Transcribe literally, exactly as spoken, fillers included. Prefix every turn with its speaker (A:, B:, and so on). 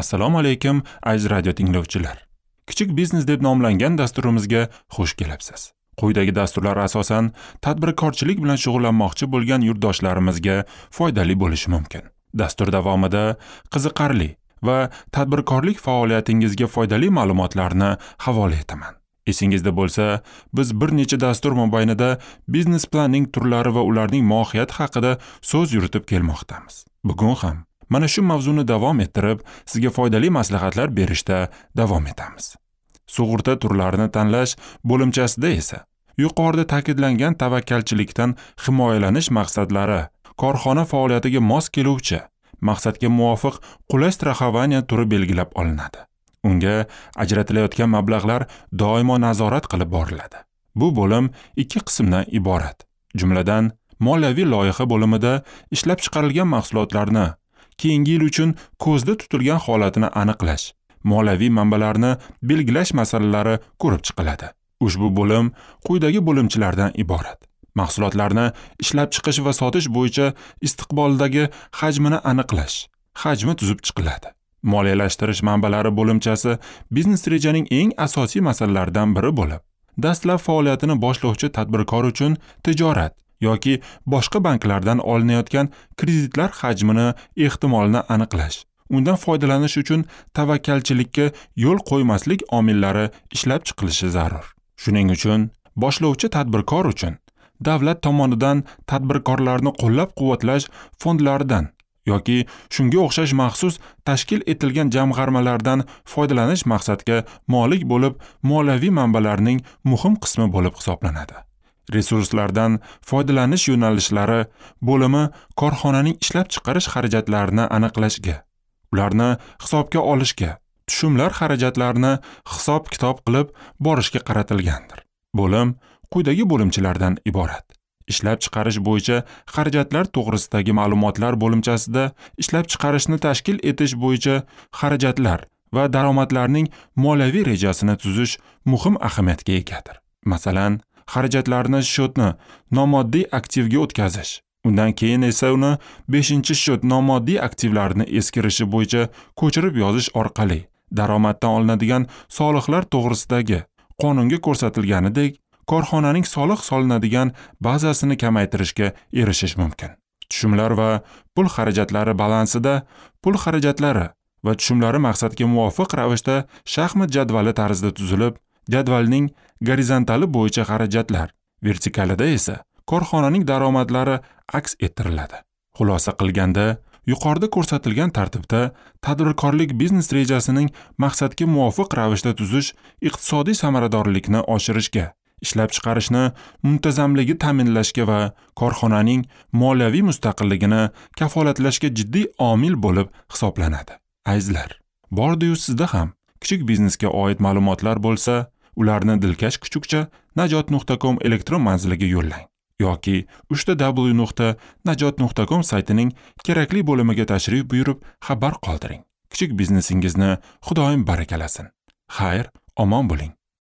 A: Assalomu alaykum, aziz radio tinglovchilar. Kichik biznes deb nomlangan dasturimizga xush kelibsiz. Quyidagi dasturlar asosan tadbirkorchilik bilan shug'ullanmoqchi bo'lgan yurtdoshlarimizga foydali bo'lishi mumkin. Dastur davomida qiziqarli va tadbirkorlik faoliyatingizga foydali ma'lumotlarni havola etaman. Esingizda bo'lsa, biz bir necha dastur mobaynida biznes planning turlari va ularning mohiyati haqida so'z yuritib kelmoqdamiz. Bugun ham mana shu mavzuni davom ettirib, sizga foydali maslahatlar berishda davom etamiz. Sug'urta turlarini tanlash bo'limchasida esa yuqorida ta'kidlangan tavakkalchilikdan himoyalanish maqsadlari, korxona faoliyatiga mos keluvchi, maqsadga muvofiq qulay страхование turi belgilab olinadi. Unga ajratilayotgan mablag'lar doimo nazorat qilib boriladi. Bu bo'lim ikki qismdan iborat. Jumladan, moliyaviy loyiha bo'limida ishlab chiqarilgan mahsulotlarni keyingi yil uchun ko'zda tutilgan holatini aniqlash, moliyaviy manbalarni belgilash masalalari ko'rib chiqiladi. Ushbu bo'lim quyidagi bo'limchalardan iborat. Mahsulotlarni ishlab chiqish va sotish bo'yicha istiqboldagi hajmini aniqlash, hajmi tuzib chiqiladi. Moliyalashtirish manbalari bo'limchasi biznes rejaning eng asosiy masalalaridan biri bo'lib, dastlab faoliyatini boshlovchi tadbirkor uchun tijorat yoki boshqa banklardan olinayotgan kreditlar hajmini ehtimolini aniqlash, undan foydalanish uchun tavakkalchilikka yo'l qo'ymaslik omillari ishlab chiqilishi zarur. Shuning uchun boshlovchi tadbirkor uchun davlat tomonidan tadbirkorlarni qo'llab-quvvatlash fondlaridan yoki shunga o'xshash maxsus tashkil etilgan jamg'armalardan foydalanish maqsadga molik bo'lib, moliyaviy manbalarning muhim qismi bo'lib hisoblanadi. Resurslardan foydalanish yo'nalishlari bo'limi korxonaning ishlab chiqarish xarajatlarini aniqlashga, ularni hisobga olishga, tushumlar xarajatlarini hisob-kitob qilib borishga qaratilgandir. Bo'lim quyidagi bo'limchalardan iborat. Ishlab chiqarish bo'yicha xarajatlar to'g'risidagi ma'lumotlar bo'limchasida ishlab chiqarishni tashkil etish bo'yicha xarajatlar va daromadlarning moliyaviy rejasini tuzish muhim ahamiyatga egadir. Masalan, xarajatlarni счетni nomoddiy aktivga o'tkazish, undan keyin esa uni beshinchi счет nomoddiy aktivlarni eskirishi bo'yicha ko'chirib yozish orqali daromaddan olinadigan soliqlar to'g'risidagi qonunga ko'rsatilganidek korxonaning soliq solinadigan bazasini kamaytirishga erishish mumkin. Tushumlar va pul xarajatlari balansida pul xarajatlari va tushumlari maqsadga muvofiq ravishda shaxmat jadvali tarzida tuzilib, jadvalning gorizontali bo'yicha xarajatlar, vertikalida esa korxonaning daromadlari aks ettiriladi. Xulosa qilganda, yuqorida ko'rsatilgan tartibda tadbirkorlik biznes rejasining maqsadga muvofiq ravishda tuzish iqtisodiy samaradorlikni oshirishga, ishlab chiqarishni muntazamligi ta'minlashga va korxonaning moliyaviy mustaqilligini kafolatlashga jiddiy omil bo'lib hisoblanadi. Azizlar, bordi-yu sizda ham kichik biznesga oid ma'lumotlar bo'lsa, ularni dilkash kuchukcha najot nuqta com elektron manziliga yo'llang yoki uchta w nuqta najot nuqta com saytining kerakli bo'limiga tashrif buyurib xabar qoldiring. Kichik biznesingizni Xudoyim barakalasin. Xayr, omon bo'ling.